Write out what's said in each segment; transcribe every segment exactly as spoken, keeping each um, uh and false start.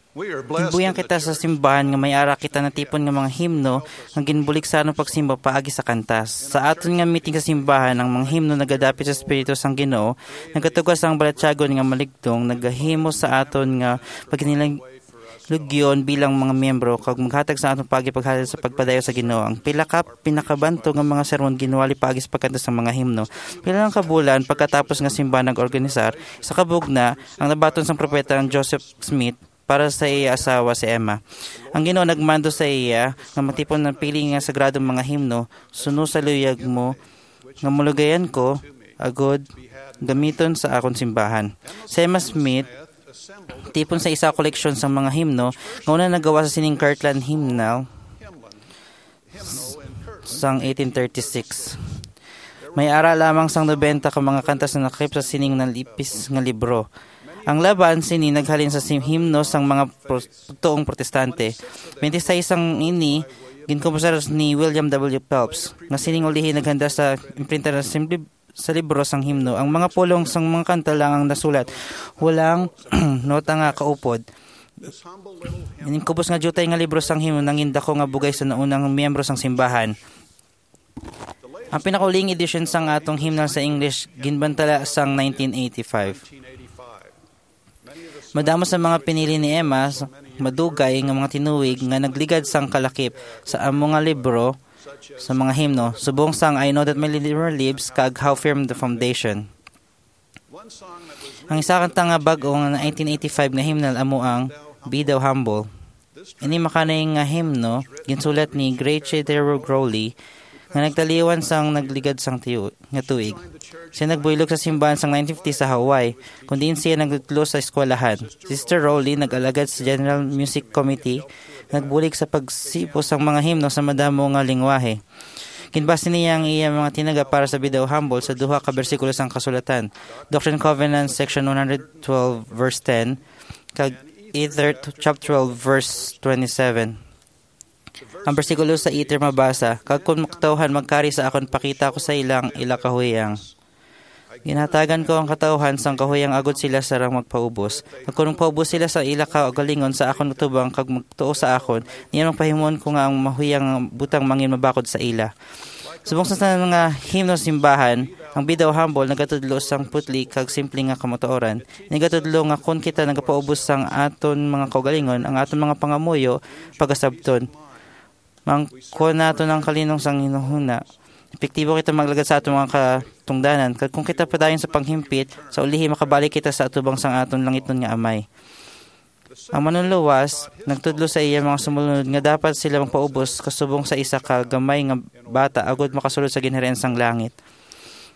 Ginbuhian kita sa simbahan nga may ara kita natipon nga mga himno nga ginbulig sa aton pagsimba paagi sa kantas. Sa aton nga meeting sa simbahan, ang mga himno nagadapit sa Espiritu sang Ginoo, nagatuga sang balatyagon nga maligdong, nagahimo sa aton nga paghinilugyon bilang mga miyembro, kag maghatag sa aton paagi paghatag sa pagpadayon sa Ginoo. Ang pila ka pinakabantog nga mga sermon ginwali paagi sa pagkanta sa mga himno. Pila lang ka bulan pagkatapos nga simbahan nag-organisar, sa kabugna, ang nabaton sang propeta ang Joseph Smith para sa iya asawa si Emma. Ang Ginoo nagmando sa iya nga matipon ang pili nga sagradong mga himno, suno sa luyag mo, nga malugayan ko, agod gamiton sa akon simbahan. Si Emma Smith, tipon sa isa ka koleksyon sang mga himno, nga una nagawa sa sining Kirtland Hymnal sang eighteen thirty-six. May ara lamang sang nobenta ka mga kanta sa nakip sa sining nalipis nga libro. Ang laban sini naghalin sa sim-, himno sang mga pro-, tuong protestante. Twenty-six sang ini ginkomposar ni William W. Phelps, nga sining ulihi naghanda sa imprinta sa sim-, sa libro sang himno. Ang mga pulong sang mga kanta lang ang nasulat. Walang nota nga kaupod. Ining kubos nga diutay nga libro sang himno nangin dako nga bugay sa naunang miyembro sang simbahan. Ang pinakauling edisyon sang atong himnal sa English ginbantala sang nineteen eighty-five. Madamo sa mga pinili ni Emma s-, madugay nga mga tinuig nga nagligad sang kalakip sa amo nga libro sa mga himno, subong sang "I Know That My Redeemer Lives" kag "How Firm the Foundation." Ang isa kanta nga bag-o nga nineteen eighty-five nga himnal amo ang "Be Thou Humble." Ini makanay nga himno ginsulat ni Grace Terrell Crowley, nga nagtaliwan sang nagligad sang tiyu-, nga tuig. Siya nagbuylog sa simbahan sang nineteen fifty sa Hawaii, kung diin siya nagtudlo sa eskwelahan. Si Sister Rowley nag-alagad sa General Music Committee, nagbulig sa pagsipo sang mga himno sa madamo nga lingwahe. Ginbase niya ang iya mga tinaga para sa "Be Thou Humble" sa duha ka bersikulo sang Kasulatan, Doctrine and Covenants, section one hundred twelve, verse ten, kag Ether, chapter twelve, verse twenty-seven. Ang bersikulo sa Ether mabasa, "Kag kon ang katawuhan magkari sa akon, pakita ko sa ila ang ila kahuyang." Ginhatagan ko ang katawuhan sang kahuyang agod sila sarang magpaubos. Kag kon magpaubos sila sa ila kaugalingon sa akon atubang kag magtuo sa akon, niya magpahimuon ko nga ang mahuyang nga butang mangin mabakod sa ila. Subong sa tanan nga himno sa simbahan, ang "Be Thou Humble" nagatudlo sang putli kag simple nga kamatuoran. Nagatudlo nga kon kita nagapaubos sang aton mga kaugalingon, ang aton mga pangamuyo pagasabton. Mangkuha naton ang kalinong sang hinunahuna. Epektibo kita maglagad sa aton mga katungdanan, kag kon kita padayon sa panghimpit, sa ulihi makabalik kita sa atubang sang aton langitnon nga Amay. Ang Manluluwas nagtudlo sa iya mga sumulunod nga dapat sila magpaubos kasubong sa isa ka gamay nga bata agod makasulod sa ginharian sang langit.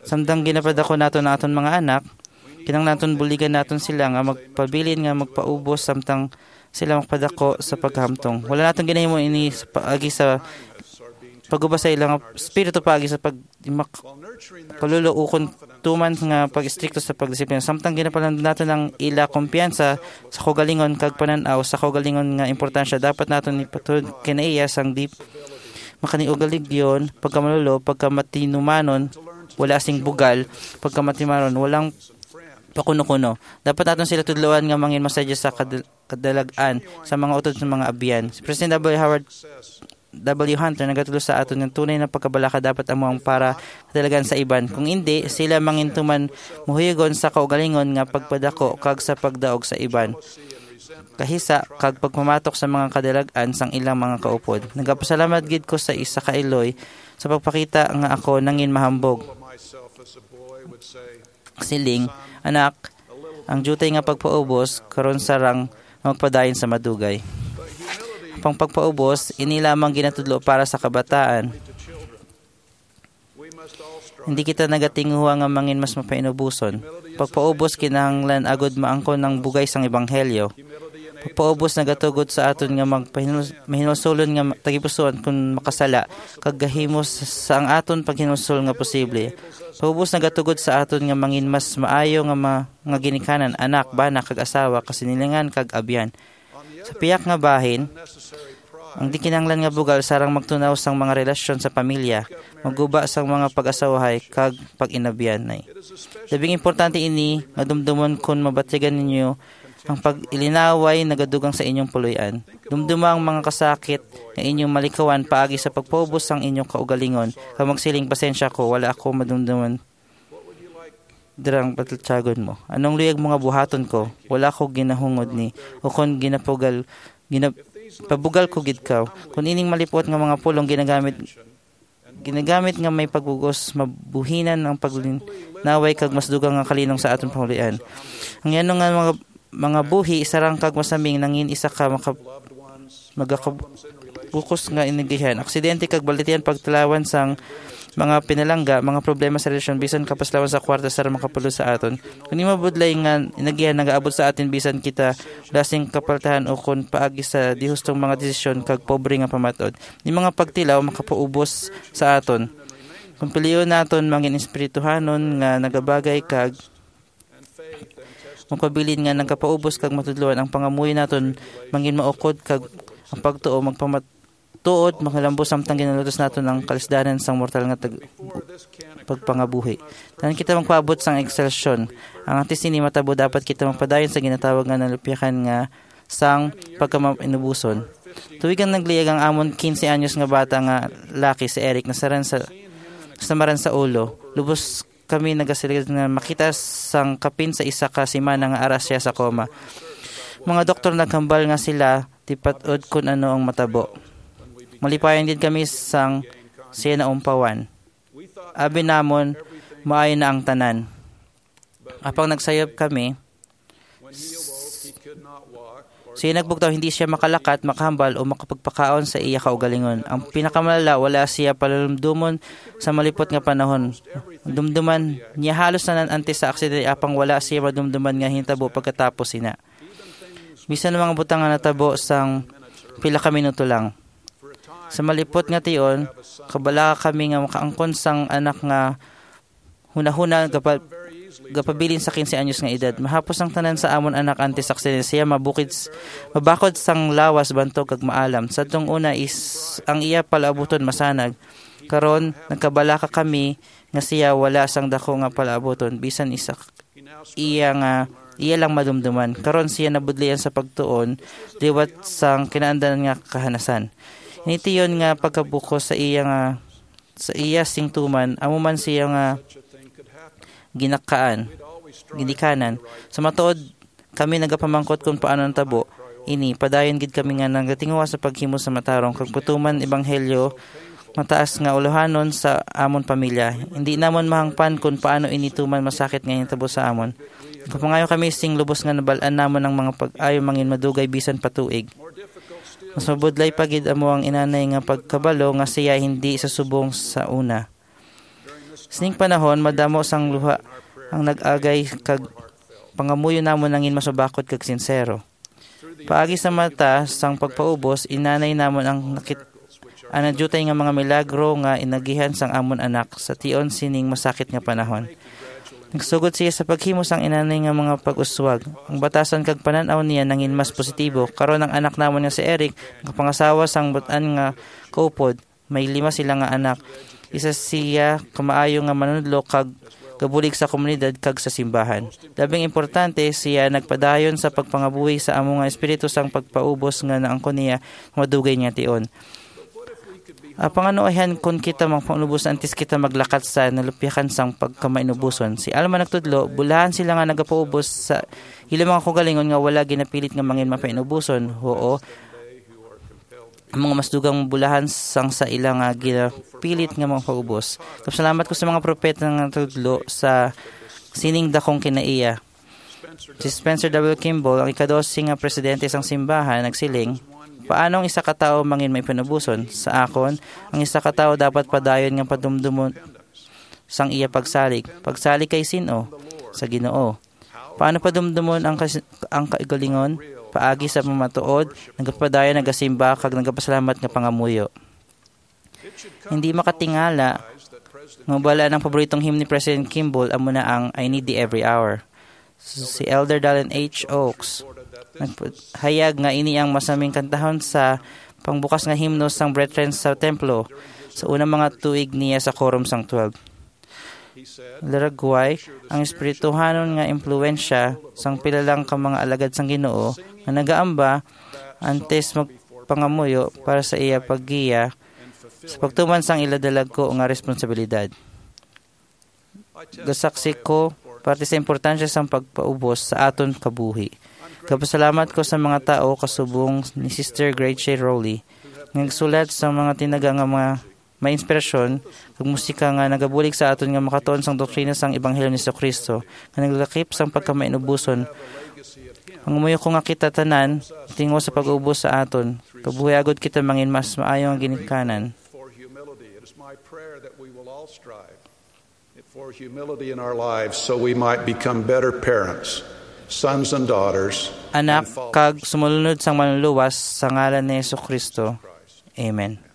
Samtang ginapadako naton ang aton mga anak, kinahanglan naton buligan naton sila nga magpabilin nga magpaubos samtang sila magpadako sa paghamtong. Wala naton ginahimo ini sa paagi sa pagubas sa ilang espiritu, paagi sa pag-, mak-, kaluluwa, ukon tuman nga pag-istrikto sa pagdisiplina. Samtang ginapalandong naton ang ila kumpiyansa sa kaugalingon kag panan-aw sa kaugalingon nga importansya, dapat naton ipatulod kinaiya sang di makaniugaligyon, pagkamalolo, pagkamatinumanon, wala sing bugal, pagkamatimanon, walang pakuno-kuno. Dapat naton sila tudloan nga mangin masadya sa kad-, kadalag-an sa mga utod sa mga abyan. Si President W. Howard W. Hunter nagatudlo sa aton nga tunay na pagkabalaka dapat amo ang para kadalagan sa iban. Kung indi, sila mangintuman muhuyugon sa kaugalingon nga pagpadako kag sa pagdaog sa iban, kahisa kag pagpamatok sa mga kadalag-an sang ilang mga kaupod. Nagapasalamat gid ko sa isa ka iloy sa pagpakita nga ako nangin mahambog. Siling, "Anak, ang diutay nga pagpaubos karon sarang magpadayon sa madugay." Ang pagpaubos, ini lamang ginatudlo para sa kabataan. Hindi kita nagatinguha nga mangin mas mapainuboson. Pagpaubos kinahanglan agud maangkon ang bugay sang ebanghelyo. Pagpaubos nagatugod sa aton nga magpahinul-, mahinulsolon nga ma-, tagipusoon kon makasala, kag gahimo sa, sa ang aton paghinulsol nga posible. Pagpaubos nagatugod sa aton nga mangin mas maayo nga ma-, nga ginikanan, anak, bana, kag asawa, kasinilingan, kag abyan. Sa piyak nga bahin, ang di kinahanglan nga bugal sarang magtunaw sang mga relasyon sa pamilya, magguba sang mga pag-asawahay kag pag-inabyanay. Labing importante ini nga dumdumon kon mabatigan ninyo Ang pag-ilinaway nagadugang sa inyong puloy-an. Dumduma ang mga kasakit nga inyong malikawan paagi sa pagpaubos sang inyong kaugalingon, kag magsiling, "Pasensya ko, wala ako madumduman." Dirang patatyagon mo. Anong luyag mga buhaton ko? Wala ko ginahungod ni, o kon ginapugal, ginap-, pabugal ko gid ka. Kung ining malipot nga mga pulong ginagamit, ginagamit nga may pagbugos, mabuhinan ang paglinaway kag mas dugang nga kalinong sa aton pangulian. Ang yano nga mga, mga buhi, sarang kag masaming nangin isa ka maka-, magakabukos nga inagihan. Aksidente kag balatian pagtilawan sang mga pinalangga, mga problema sa relasyon, bisan kapaslawan sa kwarta sa makapulo sa aton. Kung imo budlay nga inagihan nagaabot sa atin bisan kita wala sing kapaltahan o kon paagi sa dihustong mga desisyon kag pobre nga pamatod. Ni mga pagtilaw makapaubos sa aton. Kung pilion naton mangin espirituhanon nga nagabagay kag magpabilin nga nagkapaubos kag matudloan ang pangamuyo naton, mangin maukod kag ang pagtuo magpamatuod, makalambos samtang ginalutos naton ang kalisdanan sang mortal nga tag-, pagpangabuhi. Tanan kita magpaabot sang ekselsyon. Ang antes sini matabo, dapat kita magpadayon sa ginatawag nga nalupyakan nga sang pagkamainubuson. Tuig ang nagliyag ang amon quince anyos nga bata nga laki si Eric nasaran sa, samaran sa ulo. Lubos kami nagasiling nga makita sang kapin sa isa ka semana nga ara siya sa coma. Mga doktor naghambal nga sila tipatod kun ano ang matabo. Malipayon gid kami sang siya naumpawan. Abi namon, maayo na ang tanan. Apang nagsayop kami, siya nagbugtaw, hindi siya makalakat, makahambal, o makapagpakaon sa iya kaugalingon. Ang pinakamalala, wala siya palumdomon sa malipot nga panahon. Dumduman niya halos tanan antes sa aksidente, apang wala siya madumduman nga hitabo pagkatapos sina. Bisan ang mga butang nga natabo sang pila ka minuto lang. Sa malipot nga tion, kabalaka kami nga makaangkon sang anak nga hunahuna gapa-, gapabilin sa quince anyos nga edad. Mahapos ang tanan sa amon anak antes sa aksidente. Siya mabukid s-, mabakod sang lawas, bantog kag maalam. Sa tong una is ang iya palaabuton masanag. Karon nagkabalaka kami nga siya wala sang dako nga palaabuton, bisan isa iya nga iya lang madumduman. Karon siya nabudlian sa pagtuon liwat sang kinaandan nga kahanasan. Ini tion nga pagkabukos sa iya nga sa iya sing tuman, amo man siya nga ginakaan, ginikanan. Sa matuod, kami nagapamangkot kung paano natabo ini. Padayon gid kami nga nagatinguha sa paghimo sa matarong kag putuman ebanghelyo, mataas nga ulohanon sa amon pamilya. Hindi namon mahangpan kung paano ini tuman masakit nga nitabo sa amon. Kapangayo kami sing lubos nga nabal-an namon ang mga pag-ayo mangin madugay bisan pa tuig. Mas mabudlay pa gid amo ang inanay nga pagkabalo nga siya hindi sa subong sa una. Sining panahon, madamo sang luha ang nag-agay kag pangamuyo namon nangin masubakod kag sinsero. Paagi sa mata sang pagpaubos, inanay namon ang nakit-, ang nadyutay nga mga milagro nga inagihan sang amon anak sa tion sining masakit nga panahon. Nagsugod siya sa paghimo sang inanay nga mga pag-uswag. Ang batasan kag panan-aw niya nangin mas positibo. Karon ang anak namon nga si Eric nakapangasawa sang butan nga kaupod. May lima sila nga anak. Isa siya ka maayo nga manunodlo kag gabulig sa komunidad kag sa simbahan. Labing importante, siya nagpadayon sa pagpangabuhi sa amo nga espiritu sang pagpaubos nga naangkon niya nga madugay niya tion. Apang ano ayhan kon kita magpaubos antes kita maglakat sa nalupyakan sang pagkamainubuson? Si Alma nagtudlo, bulahan sila nga nagapaubos sa ila mga kaugalingon nga wala ginapilit nga mangin mapainubuson. Huo, ang mga mas dugang bulahan sang sa ila nga ginapilit nga mga paubos. Kapsalamat ko sa mga propeta nga nagtudlo sa sining dakong kinaiya. Si Spencer W. Kimball, ang ikadosi nga presidente sang simbahan, nagsiling, "Paano ang isa ka tawo mangin may panubuson? Sa akon, ang isa ka tawo dapat padayon nga padumdumon sang iya pagsalig. Pagsalig kay sin-o? Sa Ginoo. Paano padumdumon ang kas-, ang kaugalingon? Paagi sa pamatuod, nagapadayon, nagasimba, kag nagapasalamat nga pangamuyo." Hindi makatingala nga wala ang paboritong hymn ni President Kimball, amo na ang "I Need Thee Every Hour." Si Elder Dallin H. Oaks nagpahayag nga ini ang masaming kantahon sa pangbukas nga himno sang Brethren sa templo sa unang mga tuig niya sa Quorum sang Twelve. Laragway, ang espirituhanon nga impluwensya sang pila lang ka mga alagad sang Ginoo nga nagaamba antes magpangamuyo para sa iya paggiya sa pagtuman sang ila dalagko nga responsibilidad. Gasaksi ko parte sa importansya sang pagpaubos sa aton kabuhi. Gapasalamat ko sa mga tawo kasubong ni Sister Grace Rowley nga nagsulat sa mga tinaga nga mga may inspirasyon kag musika nga nagabulig sa aton nga makatuon sang doktrina sang Ebanghelyo ni Jesu-Cristo, nga naglakip sang pagkamainuboson. Ang umuyo ko nga kita tanan tingog sa pag-ubos sa aton kabuhi agod kita mangin mas maayo nga ginikanan. For humility, it is my prayer that we will all strive for humility in our lives so we might become better parents, sons and daughters, Anak, kag sumulunod sang Manluluwas, sa ngalan ni Jesu-Cristo. Amen.